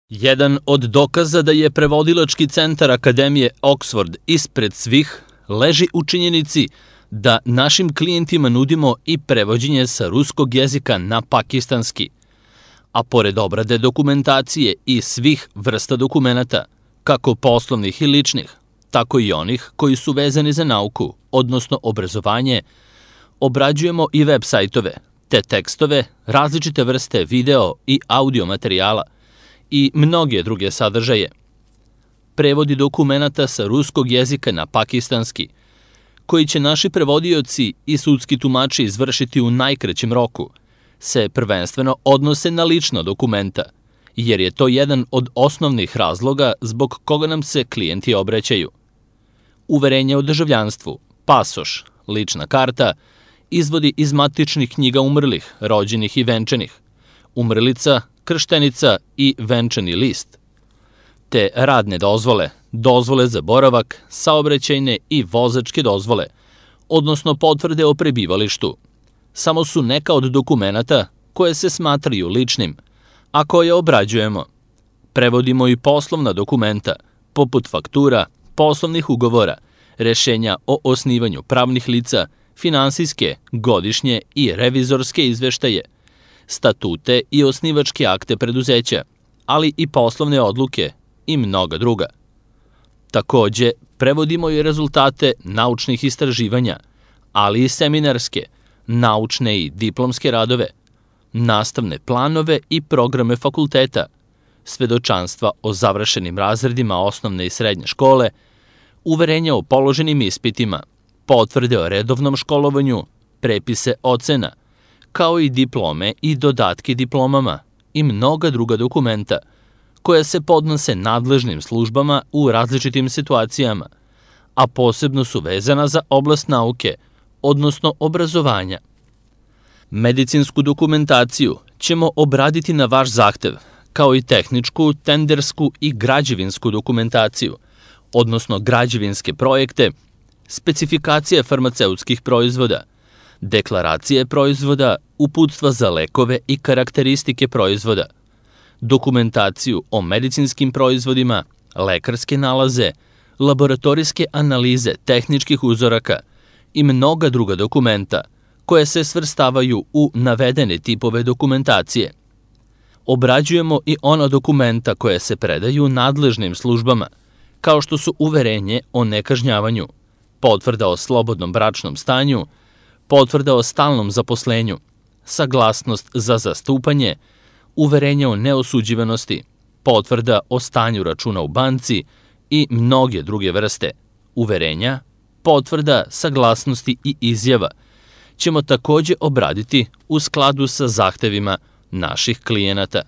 Jedan od dokaza da je prevodilački centar Akademije Oxford ispred svih leži u činjenici da našim klijentima nudimo i prevođenje sa ruskog jezika na pakistanski. A pored obrade dokumentacije i svih vrsta dokumenata, kako poslovnih i ličnih, tako i onih koji su vezani za nauku, odnosno obrazovanje, obrađujemo i web sajtove, te tekstove, različite vrste video i audio materijala i mnoge druge sadržaje. Prevodi dokumenata sa ruskog jezika na pakistanski, koji će naši prevodioci i sudski tumači izvršiti u najkraćem roku, se prvenstveno odnose na lična dokumenta, jer je to jedan od osnovnih razloga zbog koga nam se klijenti obraćaju. Uverenje o državljanstvu, pasoš, lična karta, izvodi iz matičnih knjiga umrlih, rođenih i venčanih, umrlica, krštenica i venčani list, te radne dozvole, dozvole za boravak, saobraćajne i vozačke dozvole, odnosno potvrde o prebivalištu. Samo su neka od dokumenata koje se smatraju ličnim, a koje obrađujemo. Prevodimo i poslovna dokumenta, poput faktura, poslovnih ugovora, rešenja o osnivanju pravnih lica, finansijske, godišnje i revizorske izveštaje, statute i osnivačke akte preduzeća, ali i poslovne odluke i mnoga druga. Takođe, prevodimo i rezultate naučnih istraživanja, ali i seminarske, naučne i diplomske radove, nastavne planove i programe fakulteta, svedočanstva o završenim razredima osnovne i srednje škole, uverenja o položenim ispitima, potvrde o redovnom školovanju, prepise ocena, kao i diplome i dodatke diplomama i mnoga druga dokumenta, koja se podnose nadležnim službama u različitim situacijama, a posebno su vezana za oblast nauke, odnosno obrazovanja. Medicinsku dokumentaciju ćemo obraditi na vaš zahtev, kao i tehničku, tendersku i građevinsku dokumentaciju, odnosno građevinske projekte, specifikacije farmaceutskih proizvoda, deklaracije proizvoda, uputstva za lekove i karakteristike proizvoda, dokumentaciju o medicinskim proizvodima, lekarske nalaze, laboratorijske analize tehničkih uzoraka i mnoga druga dokumenta koje se svrstavaju u navedene tipove dokumentacije. Obrađujemo i ona dokumenta koje se predaju nadležnim službama, kao što su uverenje o nekažnjavanju, potvrda o slobodnom bračnom stanju, potvrda o stalnom zaposlenju, saglasnost za zastupanje, uverenje o neosuđivanosti, potvrda o stanju računa u banci i mnoge druge vrste uverenja, potvrda, saglasnosti i izjava ćemo takođe obraditi u skladu sa zahtevima naših klijenata.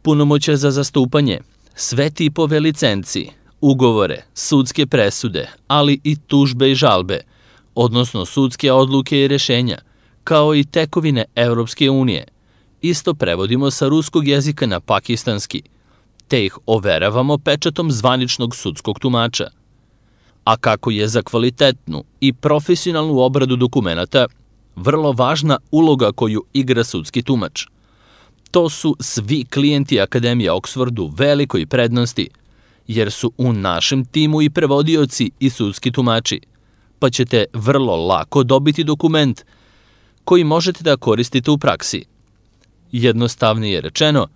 Punomoćja za zastupanje, sve tipove licenci, ugovore, sudske presude, ali i tužbe i žalbe, odnosno sudske odluke i rešenja, kao i tekovine Evropske unije, isto prevodimo sa ruskog jezika na pakistanski, te ih overavamo pečatom zvaničnog sudskog tumača. A kako je za kvalitetnu i profesionalnu obradu dokumenata vrlo važna uloga koju igra sudski tumač. To su svi klijenti Akademije Oxford u velikoj prednosti, jer su u našem timu i prevodioci i sudski tumači, pa ćete vrlo lako dobiti dokument koji možete da koristite u praksi. Jednostavnije rečeno,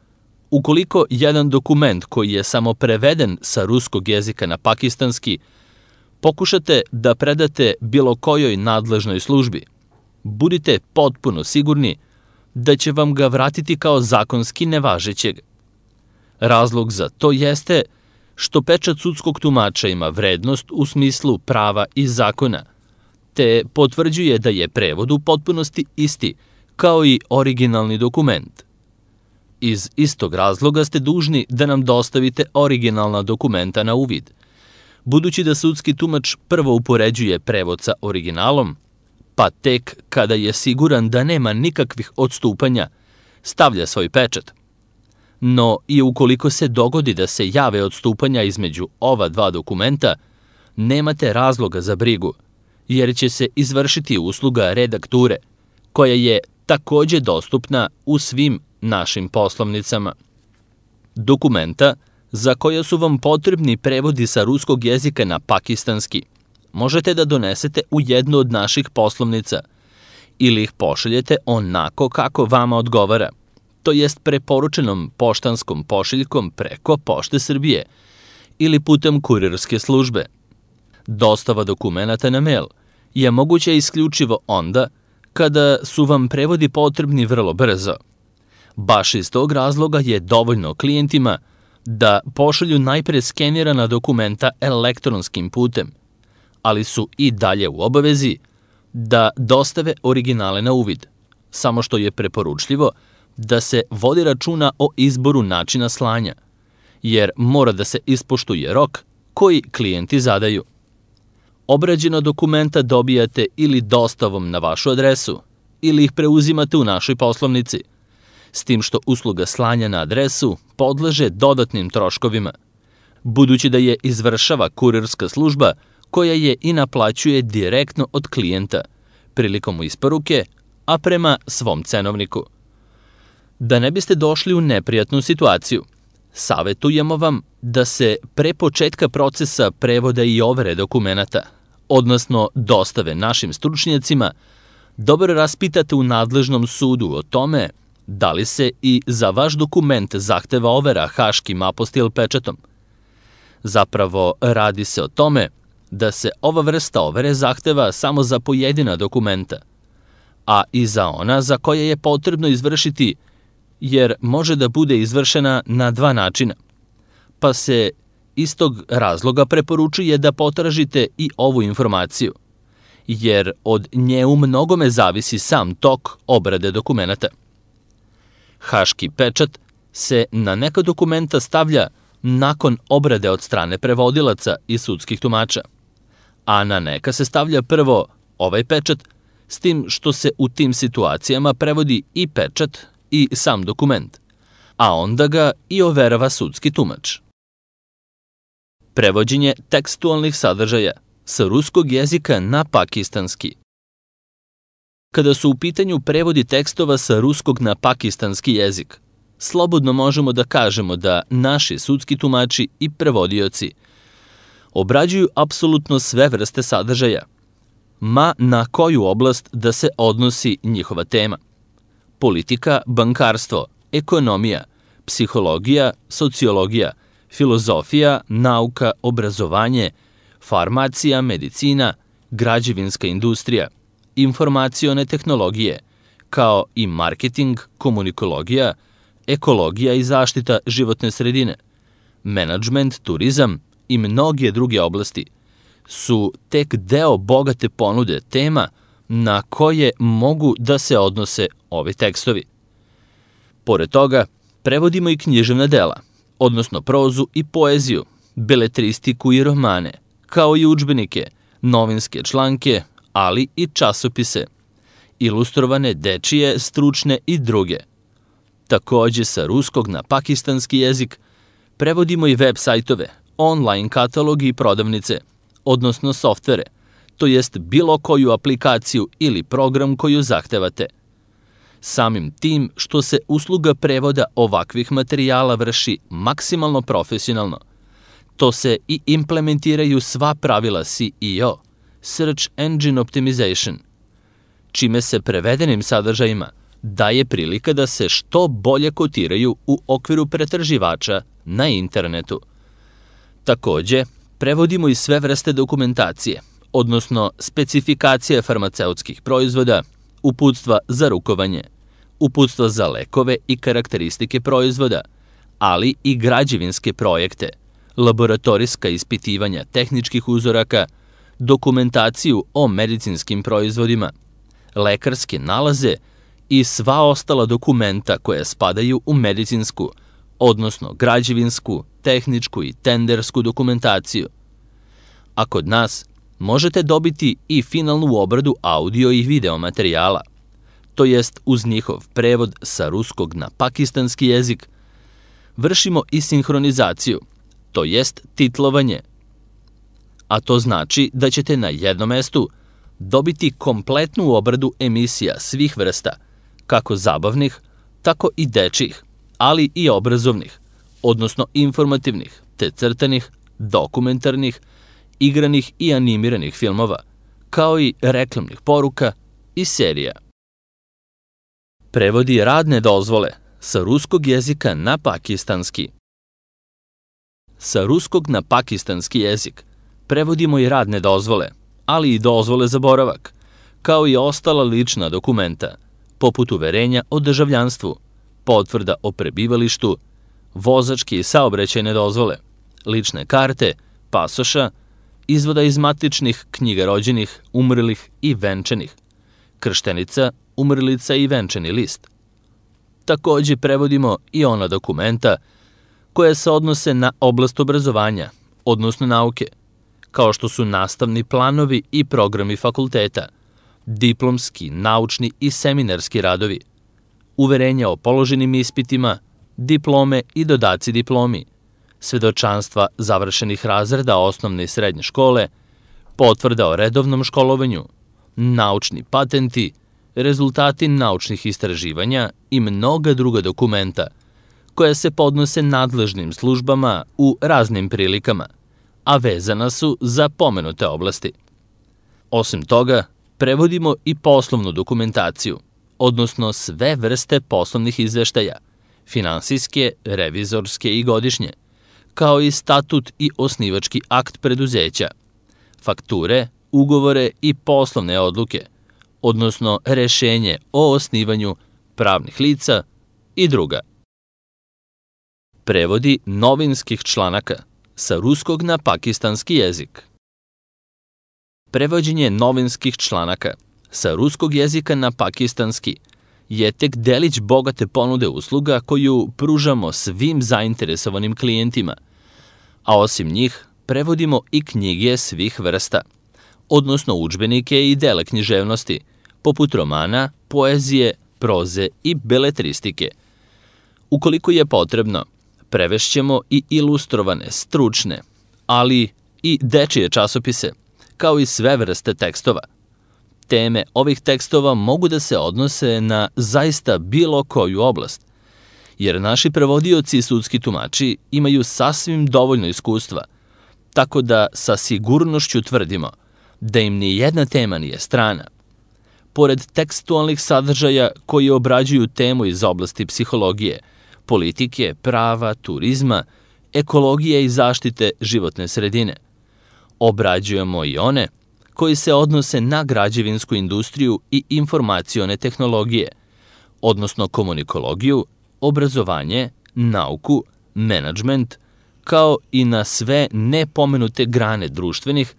ukoliko jedan dokument koji je samo preveden sa ruskog jezika na pakistanski, pokušate da predate bilo kojoj nadležnoj službi, budite potpuno sigurni da će vam ga vratiti kao zakonski nevažećeg. Razlog za to jeste što pečat sudskog tumača ima vrednost u smislu prava i zakona, te potvrđuje da je prevod u potpunosti isti kao i originalni dokument. Iz istog razloga ste dužni da nam dostavite originalna dokumenta na uvid, budući da sudski tumač prvo upoređuje prevod sa originalom, pa tek kada je siguran da nema nikakvih odstupanja, stavlja svoj pečat. No i ukoliko se dogodi da se jave odstupanja između ova dva dokumenta, nemate razloga za brigu, jer će se izvršiti usluga redakture, koja je takođe dostupna u svim našim poslovnicama. Dokumenta za koja su vam potrebni prevodi sa ruskog jezika na pakistanski možete da donesete u jednu od naših poslovnica ili ih pošaljete onako kako vama odgovara, to jest preporučenom poštanskom pošiljkom preko Pošte Srbije ili putem kurirske službe. Dostava dokumenata na mail je moguća isključivo onda kada su vam prevodi potrebni vrlo brzo. Baš iz tog razloga je dovoljno klijentima da pošalju najpre skenirana dokumenta elektronskim putem, ali su i dalje u obavezi da dostave originale na uvid, samo što je preporučljivo da se vodi računa o izboru načina slanja, jer mora da se ispoštuje rok koji klijenti zadaju. Obrađena dokumenta dobijate ili dostavom na vašu adresu, ili ih preuzimate u našoj poslovnici, s tim što usluga slanja na adresu podleže dodatnim troškovima, budući da je izvršava kurirska služba koja je i naplaćuje direktno od klijenta prilikom isporuke, a prema svom cenovniku. Da ne biste došli u neprijatnu situaciju, savetujemo vam da se pre početka procesa prevoda i overe dokumenata, odnosno dostave našim stručnjacima, dobro raspitate u nadležnom sudu o tome da li se i za vaš dokument zahteva overa haškim apostil pečatom. Zapravo, radi se o tome da se ova vrsta overe zahteva samo za pojedina dokumenta, a i za ona za koje je potrebno izvršiti, jer može da bude izvršena na dva načina, pa se iz tog razloga preporučuje da potražite i ovu informaciju, jer od nje u mnogome zavisi sam tok obrade dokumenata. Haški pečat se na neka dokumenta stavlja nakon obrade od strane prevodilaca i sudskih tumača, a na neka se stavlja prvo ovaj pečat, s tim što se u tim situacijama prevodi i pečat i sam dokument, a onda ga i overava sudski tumač. Prevođenje tekstualnih sadržaja sa ruskog jezika na pakistanski. Kada su u pitanju prevodi tekstova sa ruskog na pakistanski jezik, slobodno možemo da kažemo da naši sudski tumači i prevodioci obrađuju apsolutno sve vrste sadržaja, ma na koju oblast da se odnosi njihova tema. Politika, bankarstvo, ekonomija, psihologija, sociologija, filozofija, nauka, obrazovanje, farmacija, medicina, građevinska industrija, informacione tehnologije, kao i marketing, komunikologija, ekologija i zaštita životne sredine, menadžment, turizam i mnoge druge oblasti su tek deo bogate ponude tema na koje mogu da se odnose ovi tekstovi. Pored toga, prevodimo i književna dela, odnosno prozu i poeziju, beletristiku i romane, kao i udžbenike, novinske članke, ali i časopise, ilustrovane dečije, stručne i druge. Takođe sa ruskog na pakistanski jezik prevodimo i web sajtove, online katalogi i prodavnice, odnosno softvere, to jest bilo koju aplikaciju ili program koju zahtevate. Samim tim što se usluga prevoda ovakvih materijala vrši maksimalno profesionalno, to se i implementiraju sva pravila SEO, Search Engine Optimization, čime se prevedenim sadržajima daje prilika da se što bolje kotiraju u okviru pretraživača na internetu. Takođe, prevodimo i sve vrste dokumentacije, odnosno specifikacije farmaceutskih proizvoda, uputstva za rukovanje, uputstva za lekove i karakteristike proizvoda, ali i građevinske projekte, laboratorijska ispitivanja tehničkih uzoraka, dokumentaciju o medicinskim proizvodima, lekarske nalaze i sva ostala dokumenta koja spadaju u medicinsku, odnosno građevinsku, tehničku i tendersku dokumentaciju. A kod nas možete dobiti i finalnu obradu audio i video materijala, to jest uz njihov prevod sa ruskog na pakistanski jezik, vršimo i sinhronizaciju, to jest titlovanje. A to znači da ćete na jednom mestu dobiti kompletnu obradu emisija svih vrsta, kako zabavnih, tako i dečjih, ali i obrazovnih, odnosno informativnih, te crtanih, dokumentarnih, igranih i animiranih filmova, kao i reklamnih poruka i serija. Prevodi radne dozvole sa ruskog jezika na pakistanski. Sa ruskog na pakistanski jezik prevodimo i radne dozvole, ali i dozvole za boravak, kao i ostala lična dokumenta, poput uverenja o državljanstvu, potvrda o prebivalištu, vozačke i saobraćajne dozvole, lične karte, pasoša, izvoda iz matičnih knjiga rođenih, umrlih i venčanih, krštenica, umrlica i venčani list. Takođe prevodimo i ona dokumenta koja se odnose na oblast obrazovanja, odnosno nauke, kao što su nastavni planovi i programi fakulteta, diplomski, naučni i seminarski radovi, uverenja o položenim ispitima, diplome i dodaci diplomi, svedočanstva završenih razreda osnovne i srednje škole, potvrda o redovnom školovanju, naučni patenti, rezultati naučnih istraživanja i mnoga druga dokumenta koja se podnose nadležnim službama u raznim prilikama, a vezana su za pomenute oblasti. Osim toga, prevodimo i poslovnu dokumentaciju, odnosno sve vrste poslovnih izveštaja, finansijske, revizorske i godišnje, kao i statut i osnivački akt preduzeća, fakture, ugovore i poslovne odluke, odnosno rešenje o osnivanju pravnih lica i druga. Prevodi novinskih članaka sa ruskog na pakistanski jezik. Prevođenje novinskih članaka sa ruskog jezika na pakistanski je tek delić bogate ponude usluga koju pružamo svim zainteresovanim klijentima, a osim njih prevodimo i knjige svih vrsta, odnosno udžbenike i dela književnosti, poput romana, poezije, proze i beletristike. Ukoliko je potrebno, prevešćemo i ilustrovane, stručne, ali i dečije časopise, kao i sve vrste tekstova. Teme ovih tekstova mogu da se odnose na zaista bilo koju oblast, jer naši prevodioci i sudski tumači imaju sasvim dovoljno iskustva, tako da sa sigurnošću tvrdimo da im ni jedna tema nije strana. Pored tekstualnih sadržaja koji obrađuju temu iz oblasti psihologije, politike, prava, turizma, ekologije i zaštite životne sredine, obrađujemo i one koji se odnose na građevinsku industriju i informacione tehnologije, odnosno komunikologiju, obrazovanje, nauku, menadžment, kao i na sve nepomenute grane društvenih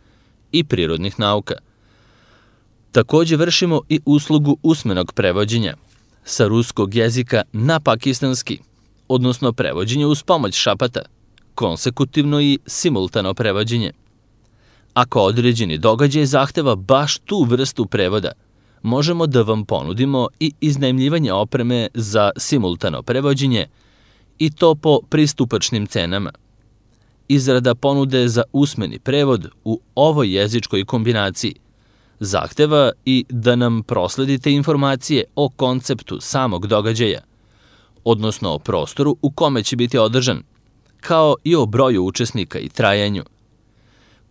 i prirodnih nauka. Takođe vršimo i uslugu usmenog prevođenja sa ruskog jezika na pakistanski, odnosno prevođenje uz pomoć šapata, konsekutivno i simultano prevođenje. Ako određeni događaj zahteva baš tu vrstu prevoda, možemo da vam ponudimo i iznajmljivanje opreme za simultano prevođenje i to po pristupačnim cenama. Izrada ponude za usmeni prevod u ovoj jezičkoj kombinaciji zahteva i da nam prosledite informacije o konceptu samog događaja, odnosno o prostoru u kome će biti održan, kao i o broju učesnika i trajanju.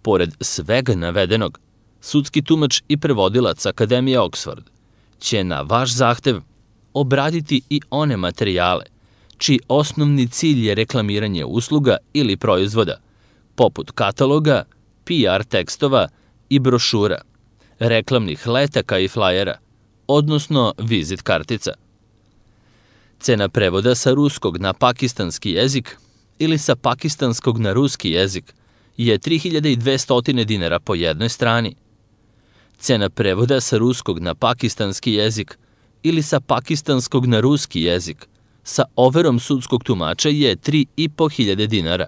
Pored svega navedenog, sudski tumač i prevodilac Akademije Oxford će na vaš zahtev obraditi i one materijale čiji osnovni cilj je reklamiranje usluga ili proizvoda, poput kataloga, PR tekstova i brošura, reklamnih letaka i flajera, odnosno vizit kartica. Cena prevoda sa ruskog na pakistanski jezik ili sa pakistanskog na ruski jezik je 3200 dinara po jednoj strani. Cena prevoda sa ruskog na pakistanski jezik ili sa pakistanskog na ruski jezik sa overom sudskog tumača je 3500 dinara.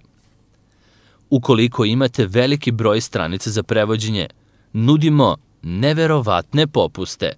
Ukoliko imate veliki broj stranica za prevođenje, nudimo neverovatne popuste.